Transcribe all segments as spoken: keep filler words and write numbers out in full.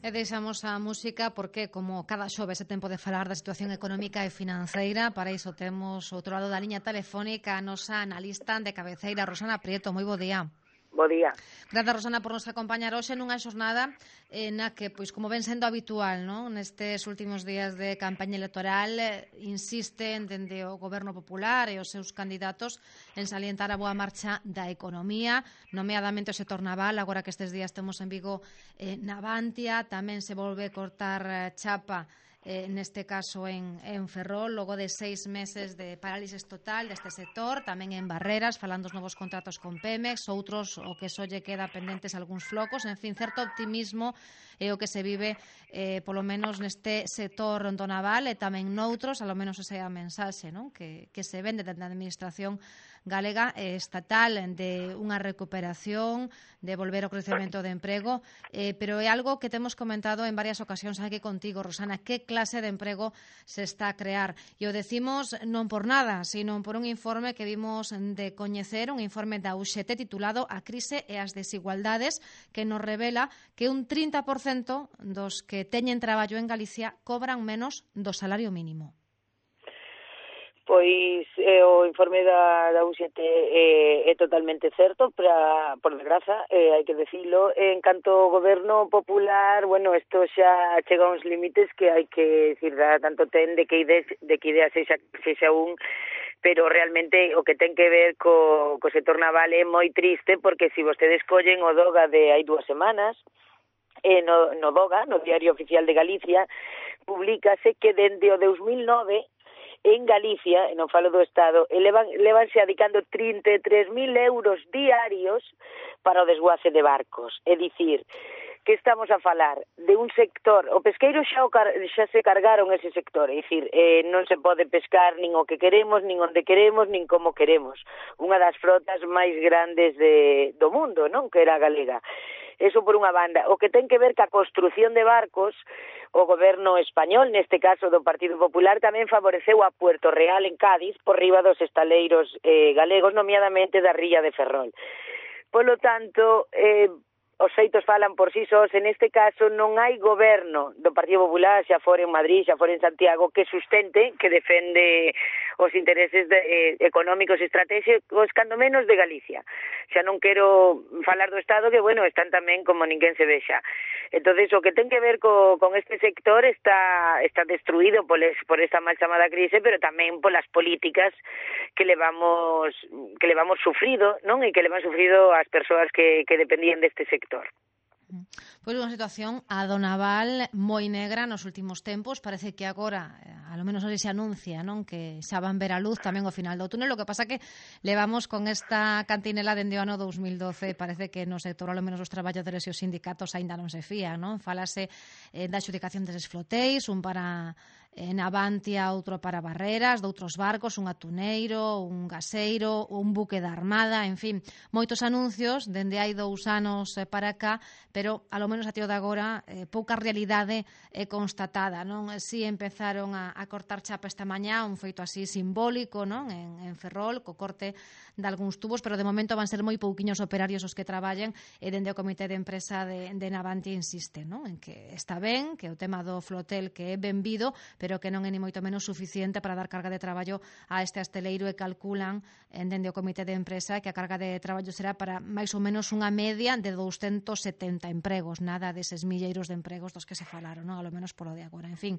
E deixamos a música porque, como cada xoves, é tempo de falar da situación económica e financeira. Para iso temos outro lado da liña telefónica a nosa analista de cabeceira, Rosana Prieto. Moi bo día. Bo día. Grazas, Rosana, por nos acompañar hoxe nunha xornada eh, na que, pois, como ven sendo habitual, non? Nestes últimos días de campaña electoral, eh, insisten dende o Goberno Popular e os seus candidatos en salientar a boa marcha da economía, nomeadamente o sector naval. Agora que estes días temos en Vigo eh, Navantia, tamén se volve cortar eh, chapa Eh, neste caso en, en Ferrol, logo de seis meses de parálisis total deste sector, tamén en Barreras, falando dos novos contratos con Pemex, outros o que só lle queda pendentes algúns flocos, en fin, certo optimismo é o que se vive eh, polo menos neste sector do naval e tamén noutros, alo menos esa é a mensaxe, non? Que, que se vende dentro da administración galega e estatal de unha recuperación, de volver ao crecemento de emprego, eh, pero é algo que temos comentado en varias ocasións aquí contigo, Rosana, que clase de emprego se está a crear. E o decimos non por nada, sino por un informe que vimos de coñecer, un informe da U X T titulado A crise e as desigualdades, que nos revela que un trinta por cento dos que teñen traballo en Galicia cobran menos do salario mínimo. Pois eh, o informe da, da U X T eh, é totalmente certo, pra, por desgraza, eh, hai que decirlo. En canto ao goberno popular, bueno, isto xa chega a uns límites que hai que decir, tanto ten de que ideas, de que idea sexa, sexa un, pero realmente o que ten que ver co, co sector naval é moi triste, porque se si vostedes collen o DOGA de hai dúas semanas, eh, no, no DOGA, no Diario Oficial de Galicia, publícase que dende o dos mil nove en Galicia, e non falo do Estado, elevan, levanse adicando trinta e tres mil euros diarios para o desguace de barcos. É dicir, que estamos a falar de un sector, o pesqueiro xa, o car, xa se cargaron ese sector, é dicir, eh, non se pode pescar nin o que queremos, nin onde queremos, nin como queremos. Unha das frotas máis grandes de, do mundo, non? Que era a galega. Eso por unha banda. O que ten que ver ca construción de barcos, o goberno español, neste caso do Partido Popular, tamén favoreceu a Puerto Real en Cádiz por riba dos estaleiros eh, galegos, nomeadamente da Rilla de Ferrol. Polo tanto, eh, os feitos falan por si sós. En este caso non hai goberno do Partido Popular, xa fora en Madrid, xa fora en Santiago, que sustente, que defende os intereses de, eh, económicos e estratégicos, cando menos de Galicia. Xa non quero falar do Estado, que, bueno, están tamén como ninguén se vexa. Entonces, o que ten que ver co, con este sector está está destruído por, es, por esta mal chamada crise, pero tamén polas políticas que levamos que levamos sufrido, non? E que levan sufrido as persoas que, que dependían deste sector. Pois unha situación a do naval moi negra nos últimos tempos. Parece que agora, a lo menos hoxe se anuncia, non, que xa van ver a luz tamén ao final do túnel. O que pasa que levamos con esta cantinela dende o ano dos mil doce. Parece que no sector, a lo menos os traballadores e os sindicatos aínda non se fían, non? Falase eh, da adxudicación deses flotéis, un para en Navantia, outro para Barreras, de outros barcos, un atuneiro, un gaseiro, un buque da Armada, en fin, moitos anuncios dende hai dous anos para cá, pero a lo menos a tío de agora eh, pouca realidade é constatada, non? Si empezaron a, a cortar chapa esta mañá, un feito así simbólico, non? En, en Ferrol, co corte de algúns tubos, pero de momento van ser moi pouquiños operarios os que traballen, e dende o comité de empresa de, de Navantia insiste, non? En que está ben, que o tema do flotel que é benvido, pero que non é ni moito menos suficiente para dar carga de traballo a este asteleiro, e calculan dende o comité de empresa que a carga de traballo será para máis ou menos unha media de douscentos setenta empregos, nada deses milleiros de empregos dos que se falaron, non? A lo menos polo de agora. En fin,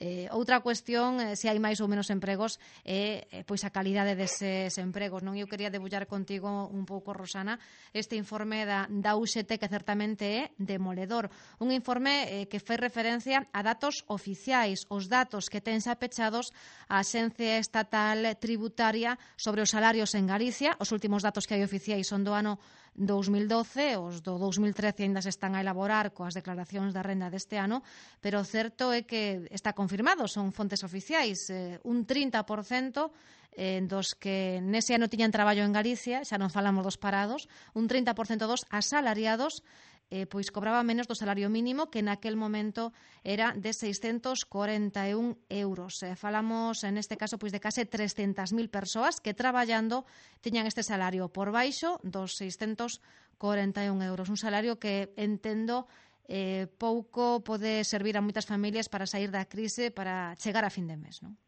Eh, outra cuestión, eh, se hai máis ou menos empregos, é eh, pois a calidade deses empregos, non? Eu quería debullar contigo un pouco, Rosana, este informe da, da U X T, que certamente é demoledor. Un informe eh, que fai referencia a datos oficiais, os datos que ten xa pechados a Axencia Estatal Tributaria sobre os salarios en Galicia. Os últimos datos que hai oficiais son do ano dos mil doce, os do dos mil trece ainda se están a elaborar coas declaracións da renda deste ano, pero o certo é que está confirmado, son fontes oficiais, eh, un trinta por cento eh, dos que nese ano tiñan traballo en Galicia, xa non falamos dos parados, un trinta por cento dos asalariados eh, pois cobraba menos do salario mínimo, que naquel momento era de seiscentos corenta e un euros. Eh, falamos, en este caso, pois de case trescentas mil persoas que traballando tiñan este salario por baixo dos seiscentos corenta e un euros. Un salario que entendo eh, pouco pode servir a moitas familias para sair da crise, para chegar a fin de mes, non?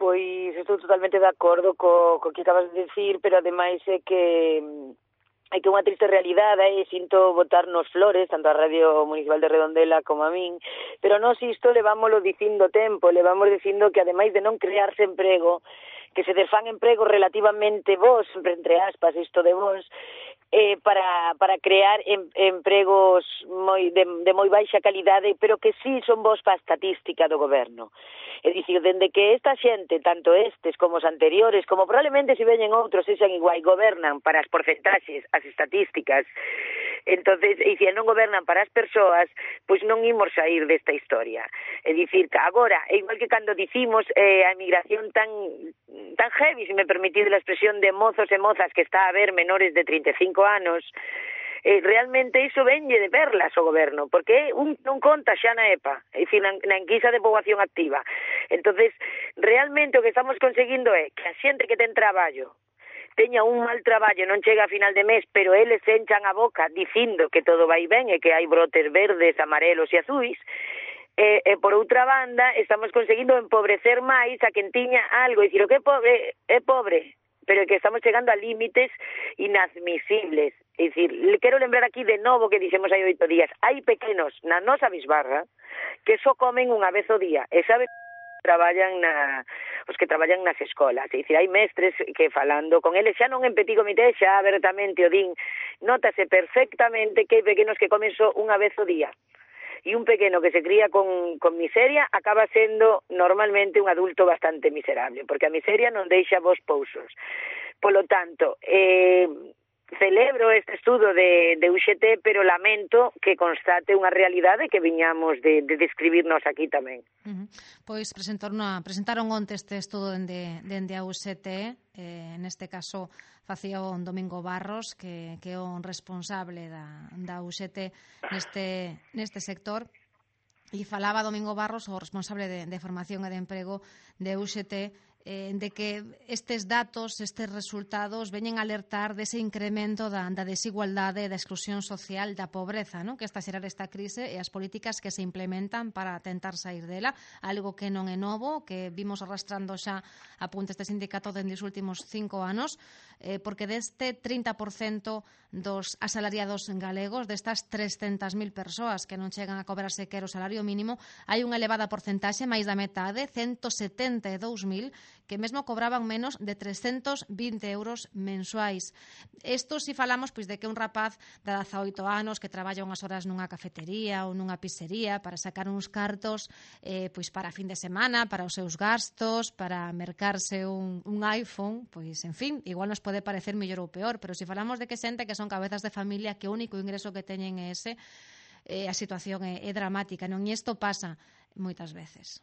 Pois estou totalmente de acordo co, co que acabas de decir, pero ademais é que hai que unha triste realidade e sinto botarnos flores, tanto a Radio Municipal de Redondela como a min, pero nós isto levámoslo dicindo tempo, levamos dicindo que ademais de non crearse emprego, que se desfán empregos relativamente bons, sempre entre aspas isto de bons, eh, para, para crear em, empregos moi, de, de moi baixa calidade, pero que sí son bons para a estatística do goberno. É dicir, dende que esta xente, tanto estes como os anteriores, como probablemente se veñen outros, sexan igual, gobernan para as porcentaxes, as estatísticas, entonces, e se non gobernan para as persoas, pois non imos sair desta historia. É dicir, que agora, é igual que cando dicimos eh, a emigración tan tan heavy, se me permitide a expresión, de mozos e mozas que está a haber menores de trinta e cinco anos, eh, realmente iso venlle de perlas o goberno, porque un non conta xa na E P A, é dicir, na, na enquisa de poboación activa. Entonces, realmente o que estamos conseguindo é que a xente que ten traballo teña un mal traballo, non chega a final de mes, pero eles se enchan a boca dicindo que todo vai ben e que hai brotes verdes, amarelos e azuis. E, e por outra banda, estamos conseguindo empobrecer máis a quen tiña algo, e dicir, o que é pobre, é pobre, pero que estamos chegando a límites inadmisibles. É dicir, le quero lembrar aquí de novo que dixemos hai oito días, hai pequenos na nosa bisbarra que só comen unha vez ao día, e sabe traballan na os que traballan nas escolas, é dicir, hai mestres que falando con eles, xa non en petit comité, xa abertamente o din, notase perfectamente que hai pequenos que comen só unha vez ao día. E un pequeno que se cría con, con miseria acaba sendo normalmente un adulto bastante miserable, porque a miseria non deixa vos pousos. Polo tanto, eh, celebro este estudo de, de U X T, pero lamento que constate unha realidade que viñamos de, de describirnos aquí tamén. Uh-huh. Pois presentaron, a, presentaron onte este estudo dende, dende a U X T, eh, neste caso facía o Domingo Barros, que, que é o responsable da, da U X T neste, neste sector, e falaba Domingo Barros, o responsable de, de formación e de emprego de U X T, eh, de que estes datos, estes resultados veñen a alertar dese incremento da, da desigualdade, da exclusión social, da pobreza, non? Que está a xerar esta crise e as políticas que se implementan para tentar sair dela, algo que non é novo, que vimos arrastrando xa apuntes de sindicato dende os últimos cinco anos, eh, porque deste trinta por cento dos asalariados galegos, destas trescentas mil persoas que non chegan a cobrar sequer o salario mínimo, hai unha elevada porcentaxe, máis da metade, ciento setenta e dous mil, que mesmo cobraban menos de trescentos vinte euros mensuais. Isto si falamos pois de que un rapaz de dezaoito anos que traballa unhas horas nunha cafetería ou nunha pizzería para sacar uns cartos eh, pois para fin de semana, para os seus gastos, para mercarse un, un iPhone, pois en fin, igual nos pode parecer mellor ou peor, pero si falamos de que xente que son cabezas de familia que o único ingreso que teñen é ese, eh, a situación é, é dramática, non? E isto pasa moitas veces.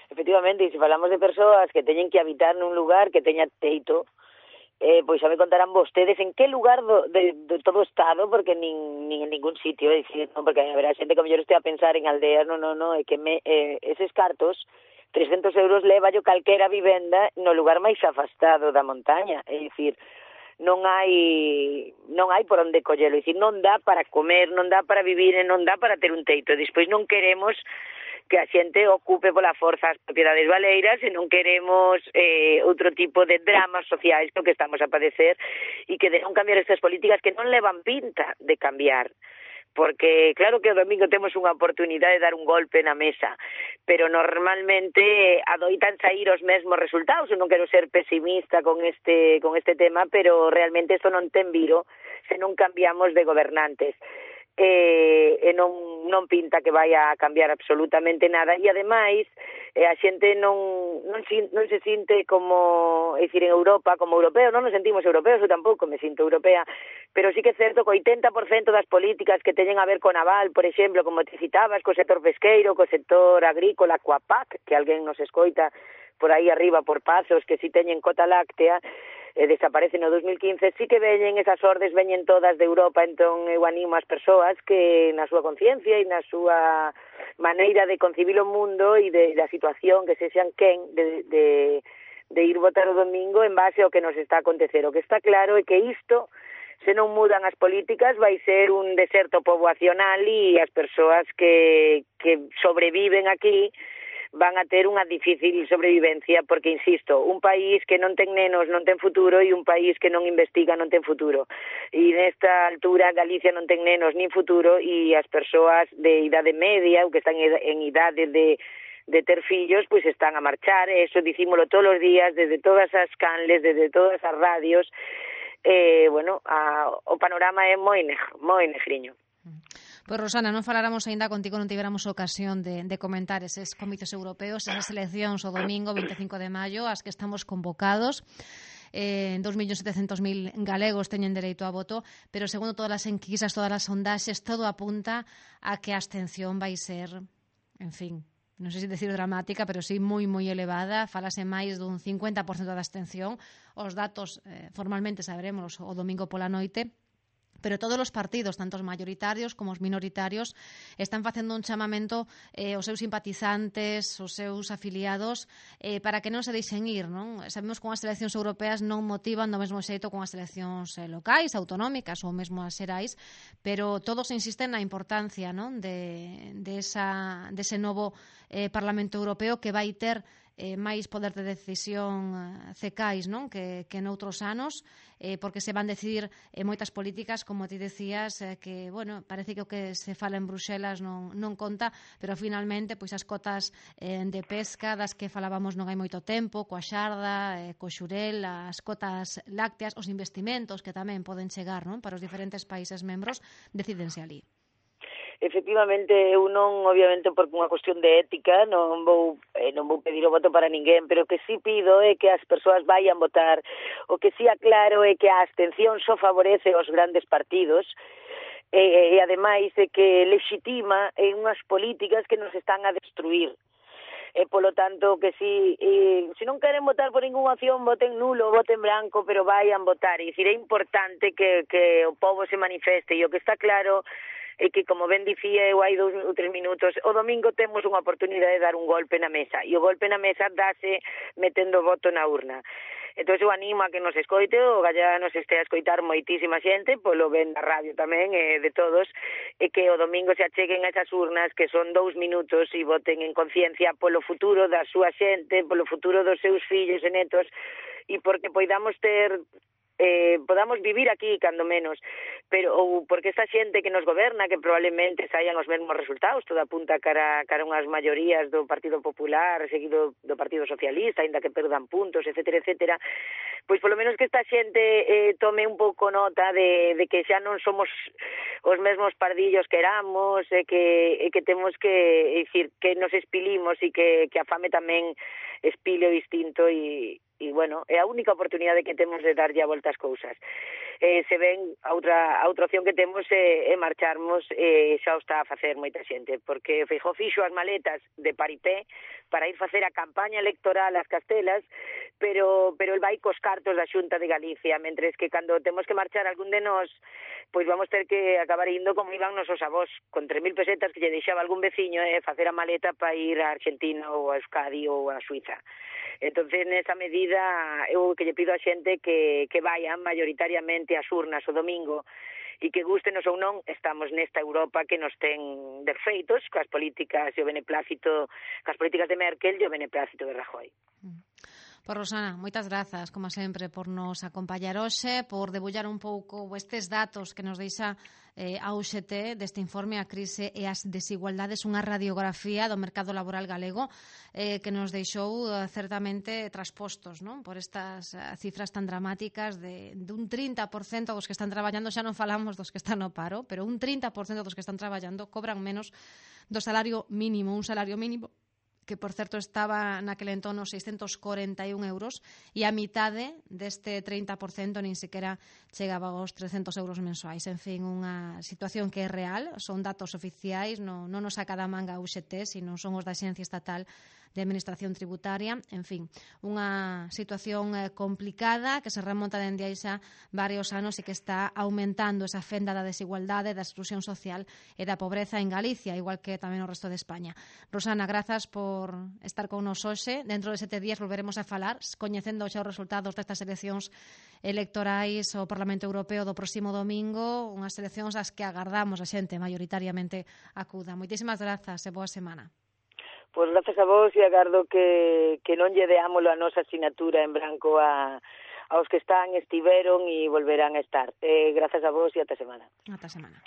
Efectivamente, e se falamos de persoas que teñen que habitar nun lugar que teña teito, eh, pois xa me contarán vostedes en que lugar do, de, de todo o Estado, porque nin, nin en ningún sitio, é dicir, non, porque haberá xente que mellor este a pensar en aldeas, non, non, non, é que me, eh, eses cartos, trescentos euros leva yo calquera vivenda no lugar máis afastado da montaña, é dicir, non hai non hai por onde collelo, é dicir, non dá para comer, non dá para vivir, e non dá para ter un teito, e despois non queremos que a xente ocupe pola forza as propiedades baleiras e non queremos eh, outro tipo de dramas sociais que estamos a padecer e que de non cambiar estas políticas que non levan pinta de cambiar. Porque claro que o domingo temos unha oportunidade de dar un golpe na mesa, pero normalmente adoitan sair os mesmos resultados. Eu non quero ser pesimista con este con este tema, pero realmente isto non ten viro se non cambiamos de gobernantes. E, e non, non pinta que vai a cambiar absolutamente nada, e ademais eh, a xente non, non, non se sinte como, é dicir, en Europa como europeo, non nos sentimos europeos, eu tampouco me sinto europea, pero sí que é certo que o oitenta por cento das políticas que teñen a ver con naval, por exemplo, como te citabas, co sector pesqueiro, co sector agrícola, coa P A C, que alguén nos escoita por aí arriba por Pazos, que si teñen cota láctea, e desaparece no dos mil quince, sí que veñen esas ordes, veñen todas de Europa, entón eu animo as persoas que na súa conciencia e na súa maneira de concibir o mundo e de, da situación que se xan quen de, de, de ir votar o domingo en base ao que nos está a acontecer. O que está claro é que isto, se non mudan as políticas, vai ser un deserto poboacional e as persoas que, que sobreviven aquí van a ter unha difícil sobrevivencia porque, insisto, un país que non ten nenos non ten futuro e un país que non investiga non ten futuro. E nesta altura Galicia non ten nenos nin futuro e as persoas de idade media ou que están en idade de de ter fillos, pois están a marchar, e eso dicímolo todos os días, desde todas as canles, desde todas as radios. Eh, bueno, a, o panorama é moi negro, moi negriño. Pois, Rosana, non faláramos aínda contigo, non tivéramos ocasión de, de comentar eses comicios europeos, esas eleccións o domingo vinte e cinco de maio, as que estamos convocados. Eh, dos millóns setecentos mil galegos teñen dereito a voto, pero segundo todas as enquisas, todas as sondaxes, todo apunta a que a abstención vai ser, en fin, non sei se decir dramática, pero sí moi, moi elevada. Falase máis dun cincuenta por cento da abstención. Os datos eh, formalmente saberemos o domingo pola noite. Pero todos os partidos, tanto os maioritarios como os minoritarios, están facendo un chamamento eh, aos seus simpatizantes, aos seus afiliados, eh, para que non se deixen ir, non? Sabemos que as eleccións europeas non motivan do mesmo xeito con as eleccións eh, locais, autonómicas ou mesmo as xerais, pero todos insisten na importancia, non? De, de, esa, de ese novo eh, Parlamento Europeo que vai ter eh, máis poder de decisión eh, cecais, non? Que, que noutros anos, eh, porque se van decidir eh, moitas políticas, como ti decías, eh, que, bueno, parece que o que se fala en Bruxelas non, non conta, pero finalmente, pois as cotas eh, de pesca das que falábamos non hai moito tempo, coa xarda, eh, co xurel, as cotas lácteas, os investimentos que tamén poden chegar, non? Para os diferentes países membros, decídense ali. Efectivamente, eu non, obviamente, por unha cuestión de ética, non vou eh, non vou pedir o voto para ninguén, pero o que sí pido é que as persoas vayan votar. O que sí aclaro é que a abstención só favorece os grandes partidos e, e ademais é que legitima en unhas políticas que nos están a destruir. E, polo tanto, que si, eh, si non queren votar por ninguna opción, voten nulo, voten branco, pero vayan votar. E dicir, é importante que, que o povo se manifeste, e o que está claro e que, como ben dicía eu hai dous ou tres minutos, o domingo temos unha oportunidade de dar un golpe na mesa, e o golpe na mesa dáse metendo o voto na urna. Entón eu animo a que nos escoite, o galla nos este a escoitar moitísima xente, polo ben da radio tamén, e de todos, e que o domingo se acheguen a esas urnas, que son dous minutos, e voten en conciencia polo futuro da súa xente, polo futuro dos seus fillos e netos, e porque poidamos ter eh, podamos vivir aquí, cando menos, pero ou porque esta xente que nos goberna, que probablemente saian os mesmos resultados, todo apunta cara, cara unhas maiorías do Partido Popular, seguido do Partido Socialista, ainda que perdan puntos, etcétera, etcétera, pois polo menos que esta xente eh, tome un pouco nota de, de que xa non somos os mesmos pardillos que éramos, e que, e que temos que, é dicir, que nos espilimos e que, que a fame tamén espile o distinto, e e, bueno, é a única oportunidade que temos de darlle a volta as cousas. Eh, se ven, a outra, a outra opción que temos é, é marcharmos, e eh, xa o está a facer moita xente, porque Feijóo fixo as maletas de paripé para ir facer a campaña electoral ás Castelas, pero pero el vai cos cartos da Xunta de Galicia, mentres que cando temos que marchar algún de nós, pois vamos ter que acabar indo como iban nosos avós, con tres mil pesetas que lle deixaba algún veciño, e eh, facer a maleta para ir a Argentina ou a Euskadi ou a Suiza. Entonces, nesa medida, eu que lle pido a xente que, que vayan mayoritariamente ás urnas o domingo, e que gustenos ou non, estamos nesta Europa que nos ten defeitos, coas políticas e o beneplácito, coas políticas de Merkel e o beneplácito de Rajoy. Pois, Rosana, moitas grazas, como sempre, por nos acompañar hoxe, por debullar un pouco estes datos que nos deixa eh, a U X T deste informe A crise e as desigualdades, unha radiografía do mercado laboral galego eh, que nos deixou eh, certamente traspostos, non? Por estas eh, cifras tan dramáticas de, de un trinta por cento dos que están traballando, xa non falamos dos que están no paro, pero un trinta por cento dos que están traballando cobran menos do salario mínimo, un salario mínimo que, por certo, estaba naquele entorno seiscentos corenta e un euros, e a mitade deste trinta por cento nin sequera chegaba aos trescentos euros mensuais. En fin, unha situación que é real, son datos oficiais, non, non nos saca da manga a U X T, sino son os da Axencia Estatal de Administración Tributaria. En fin, unha situación eh, complicada que se remonta dende aí xa varios anos e que está aumentando esa fenda da desigualdade, da exclusión social e da pobreza en Galicia, igual que tamén no resto de España. Rosana, grazas por estar con nos hoxe. Dentro de sete días volveremos a falar, coñecendo xa os resultados destas eleccións electorais ao Parlamento Europeo do próximo domingo, unhas eleccións ás que agardamos a xente maioritariamente acuda. Moitísimas grazas e boa semana. Pois grazas a vos e agardo que, que non lle deámolo a nosa asignatura en branco a, aos que están, estiveron e volverán a estar. Eh, grazas a vos e ata semana. Ata semana.